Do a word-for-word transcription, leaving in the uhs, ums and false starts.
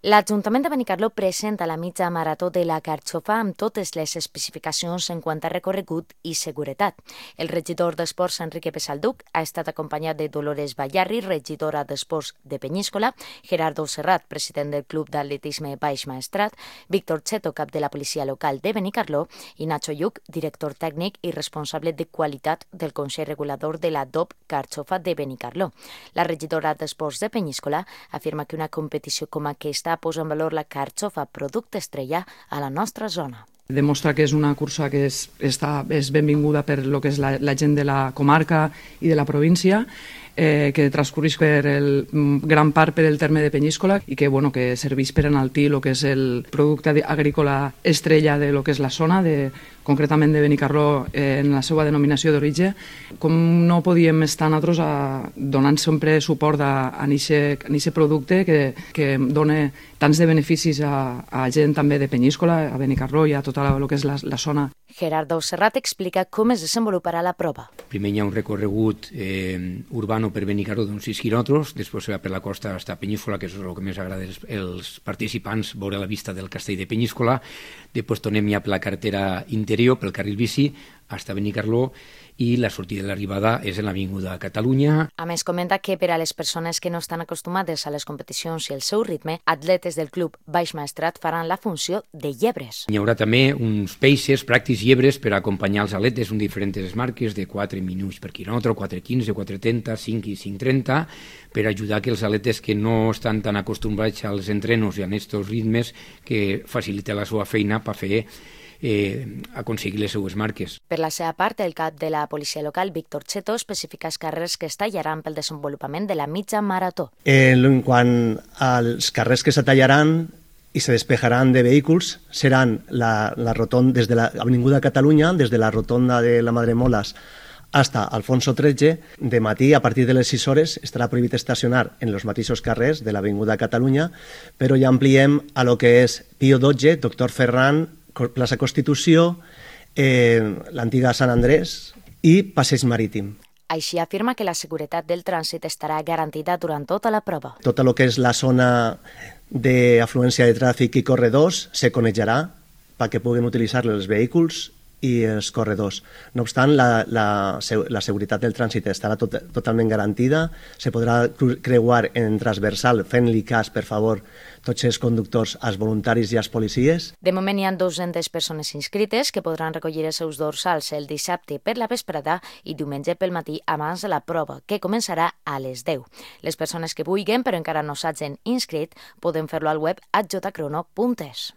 L'Ajuntament de Benicarló presenta la mitja marató de la Carxofa amb totes les especificacions en quant a recorregut i seguretat. El regidor d'Esports, Enrique Pesalduc, ha estat acompanyat de Dolores Ballarri, regidora d'Esports de Penyíscola, Gerardo Serrat, president del Club d'Atletisme Baix Maestrat, Víctor Cheto, cap de la Policia Local de Benicarló, i Nacho Lluc, director tècnic i responsable de qualitat del Consell Regulador de la D O P Carxofa de Benicarló. La regidora d'Esports de Penyíscola afirma que una competició com aquesta posa en valor la carxofa, producte estrella a la nostra zona. Demostra que és una cursa que és, està, és benvinguda per lo que és la, la gent de la comarca i de la província, eh, que transcorreix per el, gran part per el terme de Penyíscola i que, bueno, que serveix per enaltir el que és el producte agrícola estrella de lo que és la zona, de, concretament de Benicarló, eh, en la seva denominació d'origen. Com no podíem estar nosaltres a, donant sempre suport a aquest producte que, que dona tants de beneficis a, a gent també de Penyíscola, a Benicarló i a tota la, lo que és la, la zona. Gerardo Serrat explica com es desenvoluparà la prova. Primer hi ha un recorregut eh, urbano per Benicarló d'uns sis quilòmetres, després se va per la costa fins a Penyíscola, que és el que més agrada als, als participants, veure la vista del castell de Penyíscola. Després tornem ja per la carretera interior, pel carril bici, fins a Benicarló, i la sortida i l'arribada és en l'Avinguda Catalunya. A més, comenta que per a les persones que no estan acostumades a les competicions i el seu ritme, atletes del Club Baix Maestrat faran la funció de llebres. Hi haurà també uns paces, pràctics llebres, per acompanyar els atletes en diferents marques de quatre minuts per quilòmetre, quatre quinze, quatre trenta, cinc i cinc trenta, per ajudar que els atletes que no estan tan acostumbrats als entrenos i a aquests ritmes que facilita la seva feina per fer Eh, aconseguir les seues marques. Per la seva part, el cap de la policia local, Víctor Cheto, especifica els carrers que es tallaran pel desenvolupament de la mitja marató. En quant als carrers que se tallaran i se despejaran de vehicles, seran la, la rotonda des de l'Avinguda Catalunya, des de la rotonda de la Madremolas hasta Alfonso tretze, de matí a partir de les sis hores estarà prohibit estacionar en els mateixos carrers de l'Avinguda Catalunya, però ja ampliem a lo que és Pío dotze, Doctor Ferran, plaça Constitució, eh, l'antiga Sant Andrés i Passeig Marítim. Així afirma que la seguretat del trànsit estarà garantida durant tota la prova. Tot el que és la zona d'afluència de tràfic i corredors se conejarà perquè puguen utilitzar els vehicles i els corredors. No obstant, la, la, la seguretat del trànsit estarà tot, totalment garantida, se podrà creuar en transversal fent-li cas, per favor, tots els conductors, els voluntaris i els policies. De moment hi ha dues-centes persones inscrites que podran recollir els seus dorsals el dissabte per la vesprada i diumenge pel matí abans de la prova, que començarà a les deu. Les persones que vulguin, però encara no s'hagin inscrit, poden fer-lo al web a j crono punt es.